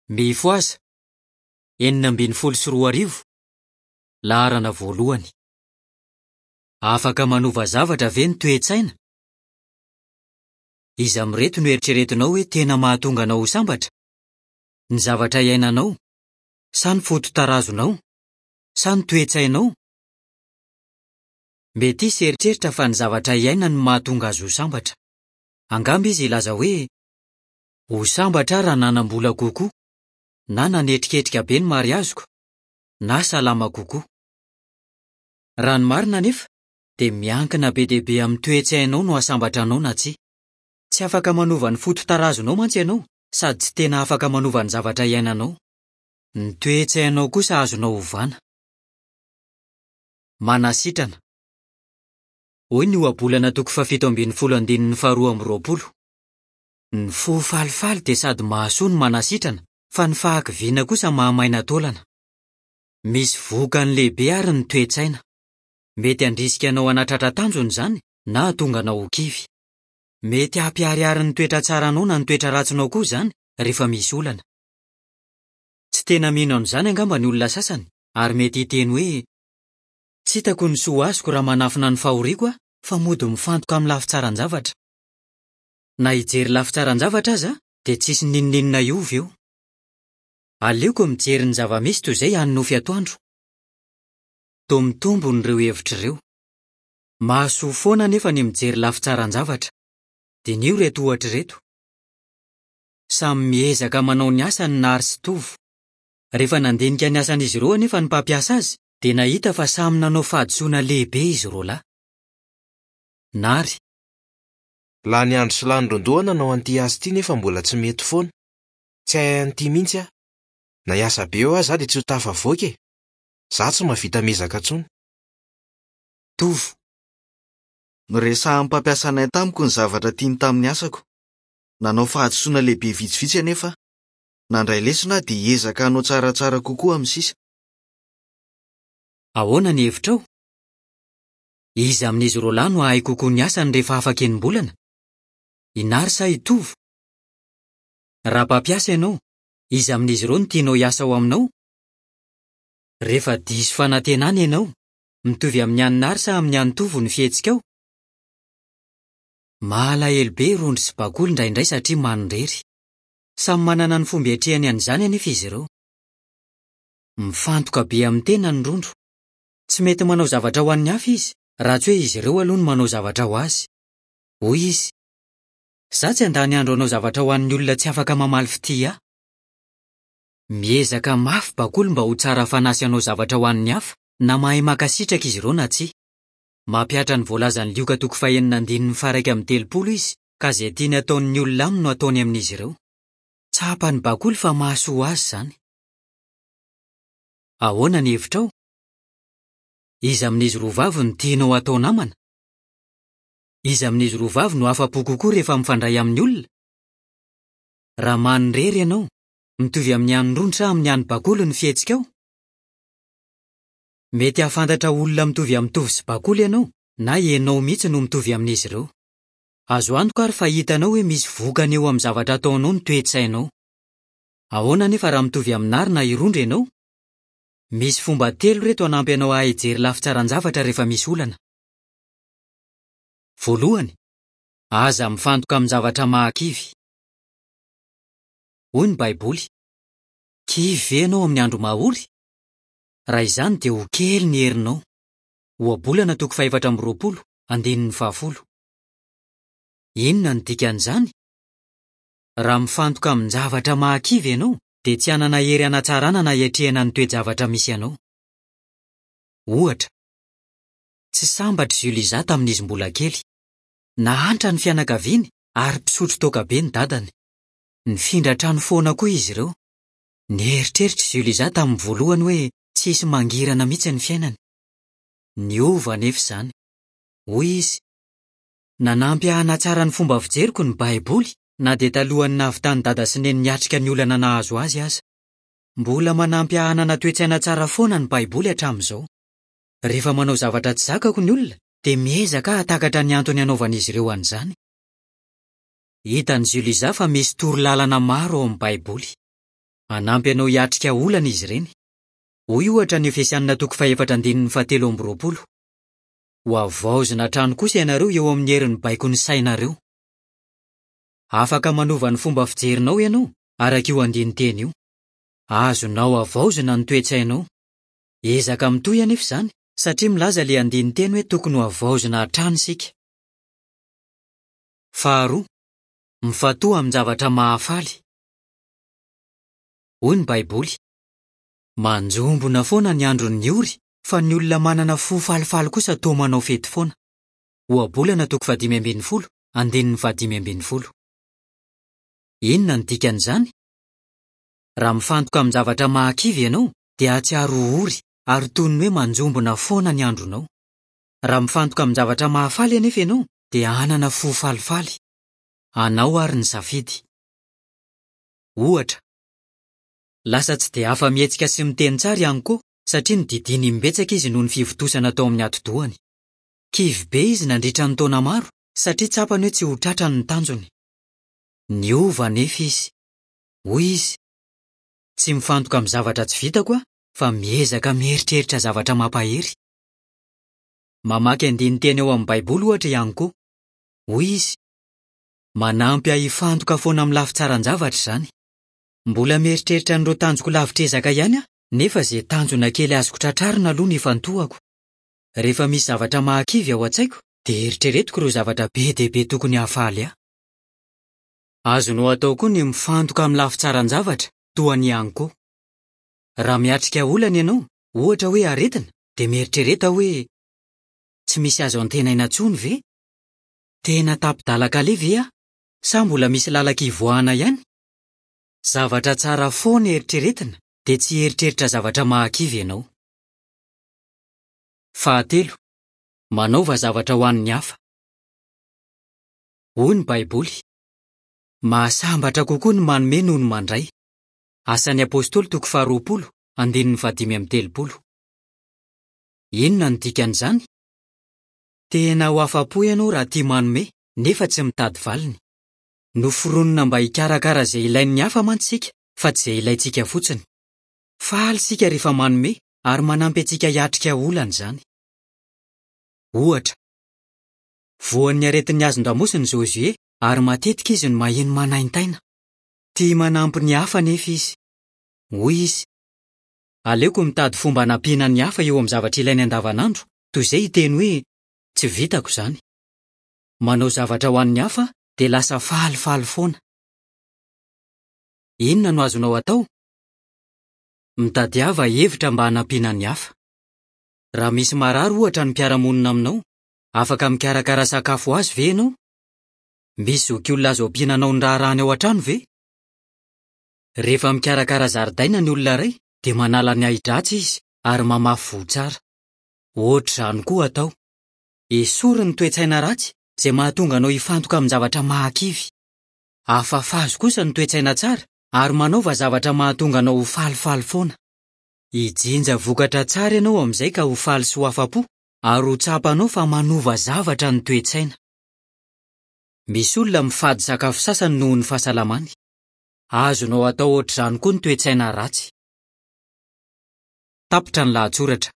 Mifohaza! 2016, laharana voalohany. Afaka manova zavatra ve ny toe-tsaina? Iza amin'ireto no eritreretinao hoe tena mahatonga anao ho sambatra? Ny zavatra iainanao? Sa ny fototarazonao? Sa ny toe-tsainao? Mety hisy hieritreritra fa ny zavatra iainany no mahatonga azy ho sambatra. Angamba izy hilaza hoe, Ho sambatra aho raha nanam-bola kokoa, na nanetriketrika be ny mariaziko, na salama kokoa. Raha ny marina anefa, dia miankina be dia be amin'ny toe-tsainao no hahasambatra anao na tsia. Tsy afaka manova ny fototarazonao mantsy ianao, sady tsy tena afaka manova ny zavatra iainanao. Ny toe-tsainao kosa azonao ovana. Manasitrana. Hoy ny Ohabolana toko fahafito ambin'ny folo andininy faharoa amby roapolo. Ny fo falifaly dia sady mahasoa no manasitrana, fa ny fahakiviana kosa mahamaina taolana. Misy vokany lehibe àry ny toe-tsaina. Mety handrisika anao hanatratra tanjona izany na hahatonga anao ho kivy. Mety hampiharihary ny toetra tsaranao na ny toetra ratsinao koa izany rehefa misy olana. Tsy tena mino an'izany angamba ny olona sasany ary mety hiteny hoe, Tsy hitako ny soa azoko raha manafina ny fahoriako aho fa mody mifantoka amin'ny lafy tsaran-javatra. Na hijery lafy tsaran-javatra aza dia tsisy n'inon'inona hiova eo. Aleoko mijery ny zava-misy toy izay hanonofy atoandro. Toa mitombona ireo hevitra ireo. Mahasoa foana anefa ny mijery lafy tsaran-javatra. Diniho ireto ohatra ireto. Samy miezaka manao ny asany Nary sy Tovo. Rehefa nandinika ny asan'izy ireo anefa ny mpampiasa azy dia nahita fa samy nanao fahadisoana lehibe izy roalahy. Nary. Lany andro sy lany ron-doha aho nanao an'ity asa ity nefa mbola tsy mety foana. Tsy hahay an'ity mihitsy aho. Na hiasa be eo aza aho dia tsy ho tafavoaka e! Izaho tsy mahavita miezaka intsony. Tovo. Noresahan'ny mpampiasa anay tamiko ny zavatra tiany tamin'ny asako. Nanao fahadisoana lehibe vitsivitsy anefa aho. Nandray lesona aho dia hiezaka hanao tsaratsara kokoa amin'ny sisa. Ahoana ny hevitrao? Iza amin'izy roalahy no hahay kokoa ny asany rehefa afaka enim-bolana? I Nary sa i Tovo? Raha mpampiasa ianao, iza amin'izy ireo no tianao hiasa ao aminao? Rehefa diso fanantenana ianao, mitovy amin'ny an'i Nary sa amin'ny an'i Tovo ny fihetsikao? Mahalahelo be i Rondro sy Bakoly indraindray satria manirery. Samy manana ny fomba iatrehany an'izany anefa izy ireo. Mifantoka be amin'ny tenany Rondro. Tsy mety manao zavatra ho an'ny hafa izy raha tsy hoe izy ireo aloha no manao zavatra ho azy. Hoy izy, Izaho tsy handany andro hanao zavatra ho an'ny olona tsy afaka mamaly fitia ahy. Miezaka mafy Bakoly mba ho tsara fanahy sy hanao zavatra ho an'ny hafa, na mahay mankasitraka izy ireo na tsia. Mampihatra ny voalazan'i Lioka toko fahenina andininy faha-31 izy, ka izay tiany hataon'ny olona aminy no ataony amin'izy ireo. Tsapan'i Bakoly fa mahasoa azy izany. Ahoana ny hevitrao? Iza amin'izy roa vavy no tianao hatao namana? Iza amin'izy roa vavy no afa-po kokoa rehefa mifandray amin'ny olona? Raha manirery ianao, mitovy amin'ny an'i Rondro sa amin'ny an'i Bakoly ny fihetsikao? Mety hahafantatra olona mitovy amin'i Tovo sy Bakoly ianao, na ianao mihitsy no mitovy amin'izy ireo. Azo antoka àry fa hitanao hoe misy vokany eo amin'ny zavatra ataonao ny toe-tsainao. Ahoana anefa raha mitovy amin'i Nary na i Rondro ianao? Misy fomba telo ireto hanampy anao hahay hijery lafy tsaran-javatra rehefa misy olana. Voalohany, aza mifantoka amin-javatra mahakivy. Hoy ny Baiboly, Kivy ve ianao amin'ny andro mahory? Raha izany dia ho kely ny herinao. Ohabolana toko fahefatra amby roapolo, andininy fahafolo. Inona no dikan'izany? Raha mifantoka amin-javatra mahakivy ianao, dia tsy hanana hery hanatsarana na hiatrehana ny toe-javatra misy anao. Ohatra, tsy sambatra i Juliza tamin'izy mbola kely. Nahantra ny fianakaviany ary mpisotro toaka be ny dadany. Nifindra trano foana koa izy ireo. Nieritreritra i Juliza tamin'ny voalohany hoe tsy hisy mangirana mihitsy ny fiainany. Niova anefa izany. Hoy izy, Nanampy ahy hanatsara ny fomba fijeriko ny Baiboly, na dia talohan'ny nahavitan'i Dada sy Neny niatrika ny olana nahazo azy aza. Mbola manampy ahy hanana toe-tsaina tsara foana ny Baiboly hatramin'izao. Rehefa manao zavatra tsy zakako ny olona, dia miezaka aho hahatakatra ny antony anaovan'izy ireo an'izany. Hitan'i Juliza fa misy toro lalana maro ao amin'ny Baiboly. Hanampy anao hiatrika olana izy ireny. Hoy ohatra ny Efesianina toko fahefatra andininy fahatelo amby roapolo, Hohavaozina hatrany kosa ianareo eo amin'ny herin'ny baikon'ny sainareo. Afaka manova ny fomba fijerinao ianao, araka io andinin-teny io. Azonao havaozina ny toe-tsainao. Ezaka mitohy anefa izany, satria milaza ilay andinin-teny hoe tokony hohavaozina hatrany isika. Faharoa, mifantoha amin-javatra mahafaly. Hoy ny Baiboly, Manjombona foana ny andron'ny ory, fa ny olona manana fo falifaly kosa toa manao fety foana. Ohabolana toko fahadimy ambin'ny folo, andininy fahadimy ambin'ny folo. Inona no dikan'izany? Raha mifantoka amin-javatra mahakivy ianao, dia hahatsiaro ho ory ary toy ny hoe manjombona foana ny andronao. Raha mifantoka amin-javatra mahafaly anefa ianao, dia hanana fo falifaly. Anao àry ny safidy. Ohatra, lasa tsy dia afa-mihetsika sy miteny tsara i Anko satria nodidiana imbetsaka izy noho ny fivontosana tao amin'ny atidohany. Kivy be izy nandritra ny taona maro satria tsapany hoe tsy ho tratrany ny tanjony. Niova anefa izy. Hoy izy, Tsy mifantoka amin'ny zavatra tsy vitako aho fa miezaka mieritreritra zavatra mampahery. Mamaky andinin-teny ao amin'ny Baiboly, ohatra, i Anko. Hoy izy, Manampy ahy hifantoka foana amin'ny lafy tsaran-javatra izany. Mbola mieritreritra an'ireo tanjoko lavitr'ezaka ihany aho, nefa izay tanjona kely azoko tratrarina aloha no ifantohako. Rehefa misy zavatra mahakivy ao an-tsaiko, dia eritreretiko ireo zavatra be dia be tokony hahafaly ahy. Azonao atao koa ny mifantoka amin'ny lafy tsaran-javatra, toa an'i Anko. Raha miatrika olana ianao, ohatra hoe aretina, dia mieritrereta hoe, 'Tsy misy azo antenaina intsony ve? Tena tapi-dalan-kaleha ve aho, sa mbola misy lalan-kivoahana ihany? Zavatra tsara foana eritreretina, dia tsy hieritreritra zavatra mahakivy ianao. Fahatelo, manaova zavatra ho an'ny hafa. Hoy ny Baiboly, Mahasambatra kokoa ny manome noho ny mandray. Asan'ny Apostoly toko faharoapolo, andininy fahadimy amby telopolo. Inona no dikan'izany? Tena ho afa-po ianao raha tia manome, nefa tsy mitady valiny. Noforonina mba hikarakara izay ilain'ny hafa mantsy isika, fa tsy izay ilaintsika fotsiny. Faly isika rehefa manome, ary manampy antsika hiatrika olana izany. Ohatra, voan'ny aretin'ny hazon-damosina i Josué, ary matetika izy no maheno manaintaina. Tia manampy ny hafa anefa izy. Hoy izy, Aleoko mitady fomba hanampiana ny hafa eo amin'ny zavatra ilainy andavanandro, toy izay hiteny hoe, 'Tsy vitako izany. Manao zavatra ho an'ny hafa dia lasa falifaly foana. Inona no azonao atao? Mitadiava hevitra mba hanampiana ny hafa. Raha misy marary ohatra ny mpiara-monina aminao, afaka mikarakara sakafo ho azy ve ianao? Misy zokiolona azo ampiana hanao ny raharahany ao an-trano ve? Rehefa mikarakara zaridaina ny olona iray dia manala ny ahi-dratsy izy ary mamafy voa tsara. Hoatr'izany koa atao. Esory ny toe-tsaina ratsy izay mahatonga anao hifantoka amin-javatra mahakivy. Afafazo kosa ny toe-tsaina tsara ary manaova zavatra mahatonga anao ho falifaly foana. Hijinja vokatra tsara ianao amin'izay ka ho faly sy ho afa-po ary ho tsapanao fa manova zavatra ny toe-tsaina. Misy olona mifady sakafo sasany noho ny fahasalamany. Azonao atao hoatr'izany koa ny toe-tsaina ratsy. Tapitra ny lahatsoratra.